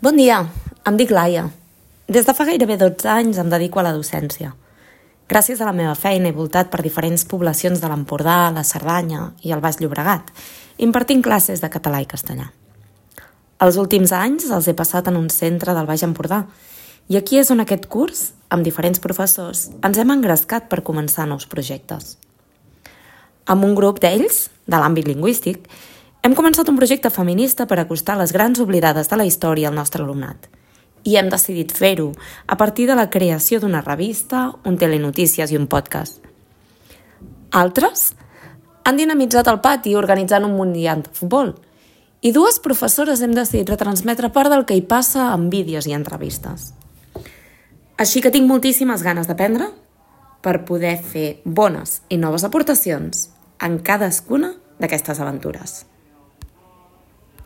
Bon dia, em dic Laia. Des de fa gairebé 12 anys em dedico a la docència. Gràcies a la meva feina he voltat per diferents poblacions de l'Empordà, la Cerdanya i el Baix Llobregat, impartint classes de català i castellà. Els últims anys els he passat en un centre del Baix Empordà i aquí és on aquest curs, amb diferents professors, ens hem engrescat per començar nous projectes. Amb un grup d'ells, de l'àmbit lingüístic, hem començat un projecte feminista per acostar les grans oblidades de la història al nostre alumnat. I hem decidit fer-ho a partir de la creació d'una revista, un telenotícies i un podcast. Altres han dinamitzat el pati organitzant un mundial de futbol. I dues professores hem decidit retransmetre part del que hi passa en vídeos i entrevistes. Així que tinc moltíssimes ganes d'aprendre per poder fer bones i noves aportacions en cadascuna d'aquestes aventures.